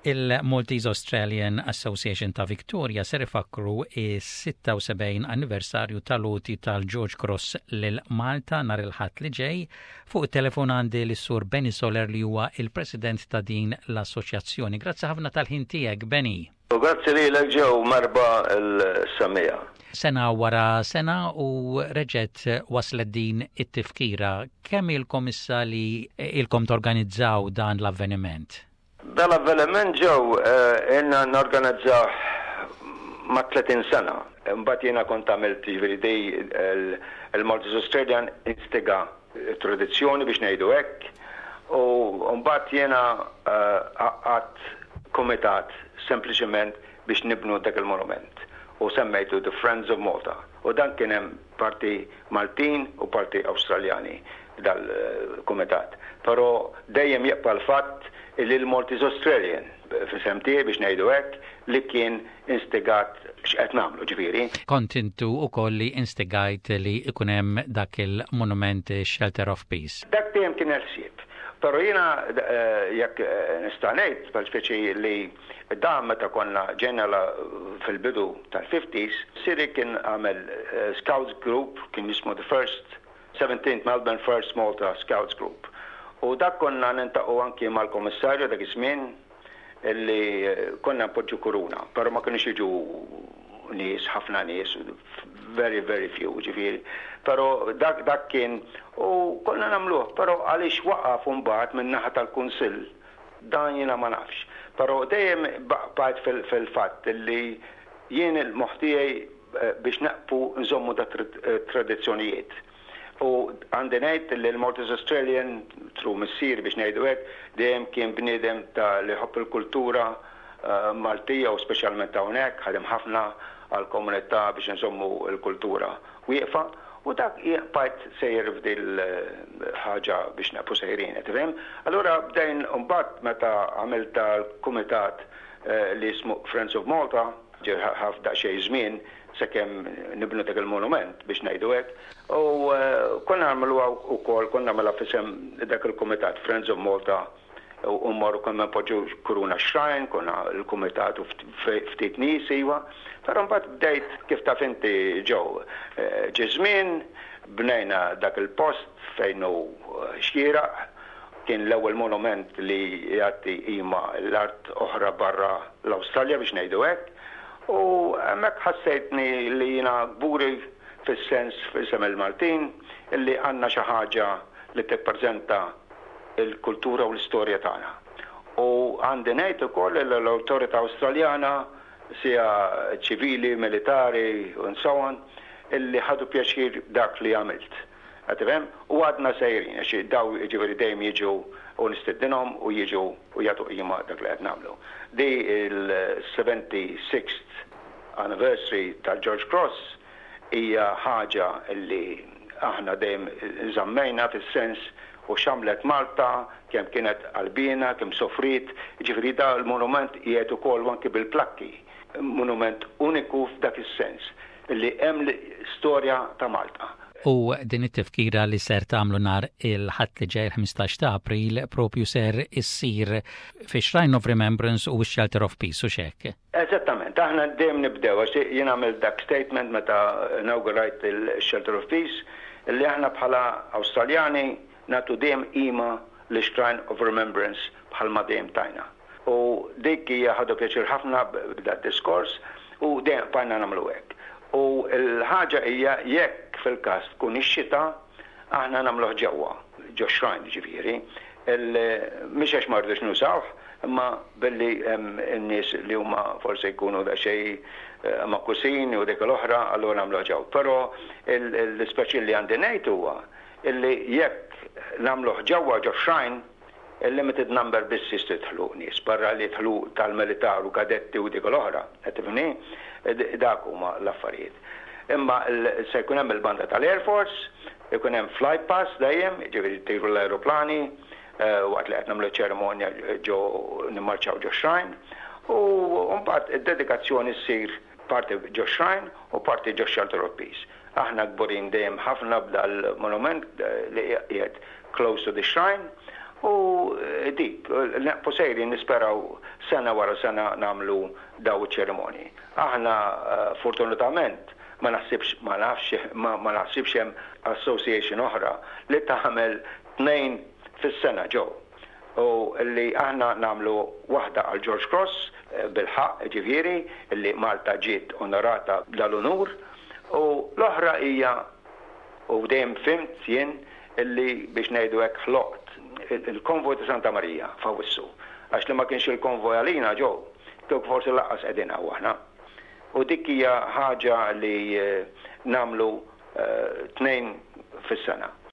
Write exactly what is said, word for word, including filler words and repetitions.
Il-Maltese Australian Association ta' Victoria ser ifakru is-sitta u sebgħin anniversarju tal-għoti tal-George Cross lil Malta nhar il-Ħadd li ġej. Fuq it-telefon għandi lis-Sur Benny Soler, li huwa il-president ta' din l-assoċjazzjoni. Grazzi ħafna tal-ħin tiegħek, Benny. U grazzi lilek, Joe, merħba lis-semmiegħa. Sena wara sena u reġgħet waslet din it-tifkira. Kemm ilkom issa li ilkom torganizzaw dan l-avveniment? Dal-avveniment, Joe, eh, ilna norganizzaw ma' tletin sena. Mbagħad jiena kont għamilt, ġifieri di il-Maltese Australian instiga tradizzjoni, biex ngħidu hekk, u mbagħad jiena għamilt komitat sempliċement biex nibnu dak il-monument u semmejtu The Friends of Malta. U dan kien hemm parti Maltin u parti Awstraljani dal-komitat. Però dejjem jibqa' l-fatt li l-Maltese Australian f'isem tiegħi, biex ngħidu hekk, li kien instigat x'qed nagħmlu, ġifieri. Kont intu ukoll li instigajt li ikun hemm dak il-monument Shelter of Peace. Dak dejjem kien il-ħsieb. Però jiena, eh, jekk eh, nista' ngħid, per speċi li dan meta konna ġejna fil-bidu tal-fifties, missieri kien għamel eh, Scouts Group, kien jismu the First seventeenth Melbourne First Malta Scouts Group. U dak konna niltaqgħu anki mal-komissarju dak iż-żmien illi konna npoġġu kuruna, però ma kienux jiġu nies, ħafna nies, very, very few, ġifieri. Però dak, dak kien, u konna nagħmluh, però għaliex waqaf mbagħad minn naħa tal-Kunsill, dan jiena ma nafx. Però dejjem baqgħet fil-fatt illi jien il-moħħ tiegħi eh, biex naqfu nżommu da tradizzjonijiet. U għandi ngħid li l-Maltese Australian, through missier, biex ngħidu hekk, dejjem kien bniedem ta' li jħobb il-kultura uh, Maltija u speċjalment hawnhekk, ħadem ħafna għal-komunità biex nżommu l-kultura wieqfa, u dak bqajt sejjer f'dil ħaġa biex naqfu sejrin, tifhem? Allura bdejn mbagħad meta għamilt tal-kumitat eh, li jismu Friends of Malta, ħa daqsxejn żmien sakemm nibnu dak il-monument, biex ngħidu hekk. U eh, konna nagħmluha wkoll, konna nagħmluha f'isem dak il-kumitat Friends of Malta u mmorru konna npoġġu kuruna shrine, konna l-kumitat u ftit nies iva. Però mbagħad bdejt, kif taf inti, Joe, eh, ġie żmien, bnejna dak il-post fejn hu eh, xieraq, kien l-ewwel monument li jagħti qima l-art oħra barra l-Awstralja, biex ngħidu hekk. U hemmhekk ħassejtni li jiena kburi fis-sens f'isem il-Maltin illi għandna xi ħaġa li tippreżenta il-kultura u l-istorja tagħna. U għandi ngħid ukoll li l-awtorità Awstraljana, sija ċivili, militari and so on, illi ħadu pjaċir dak li għamilt. Għatifhem? U għadna sejrin, għax daw ġifieri dejjem jiġu u nistedinhom u jiġu u jagħtu qima dak li qed nagħmlu. Di il-seventy-sixth anniversary tal-George Cross hija ħaġa illi aħna dejjem żammejna fis-sens u x'għamlet Malta, kemm kienet qalbiena, kemm sofrit, ġifieri da l-monument qiegħed ukoll anki bil-plakki, monument uniku f'dak is-sens illi hemm l-istorja ta' Malta. U din it-tifkira li ser tagħmlu nhar il-Ħadd li ġej, ħmistax ta' April, propju ser issir fi Shrine of Remembrance u Shelter of Peace, u hekk. Eżattament, aħna dejjem nibdew, għax jien għamilt dak statement meta inaugurajt il-Shelter of Peace, illi aħna bħala Awstraljani nagħtu dejjem qima li Shrine of Remembrance bħalma dejjem tajna. U dik hija ħadu pjaċir ħafna b'dak diskors u dejjem bqajna nagħmlu hekk. U l-ħaġa hija, jekk fil-każ tkun ix-xita, aħna nagħmluh ġewwa, ġo shrine ġifieri. Mhix għax ma rridux nużawh, imma billi hemm in-nies li huma forsi jkunu daqsxejn eh, makusin u dik l-oħra, allura nagħmluh ġew. Però l-ispeċi li għandi ngħid huwa illi jekk nagħmluh ġewwa ġo shrine, il-limited number biss jistgħu jidħlu nies, barra li jidħlu tal-militar u kadetti u dik l-oħra, qed tifhimni? Dak huma l-affarijiet. Imma se jkun hemm il-banda tal-Air Force, ikun hemm fly pass dejjem, ġifieri jtiru l-aeroplani, eh, waqt li qed nagħmlu ċerimonja ġo nimmarċaw ġo shrine, u mbagħad id-dedikazzjoni ssir parti ġo shrine u parti ġo Shelter of Peace. Aħna kburin dejjem ħafna b'dal-monument eh, li qiegħed close to the shrine. U eh, dik, nibqgħu sejrin, nisperaw sena wara sena nagħmlu daw ċerimoni. Aħna eh, fortunatament ma naħsibx, ma nafx, ma naħsibx hemm association oħra li tagħmel tnejn fis-sena ġew. U li aħna nagħmlu waħda għal George Cross eh, bil-ħaq, ġifieri li Malta ġiet onorata dal-unur, u l-oħra hija, u dejjem fhimt jien illi biex ngħidu hekk ħloqt il-konvoj ta' Santa Marija f'Awwissu. Għax li ma kienx il-konvoj għalina ġew, kieku forsi lanqas qegħdin aħna. U dik hija ħaġa li eh, nagħmlu eh, tnejn fis-sena.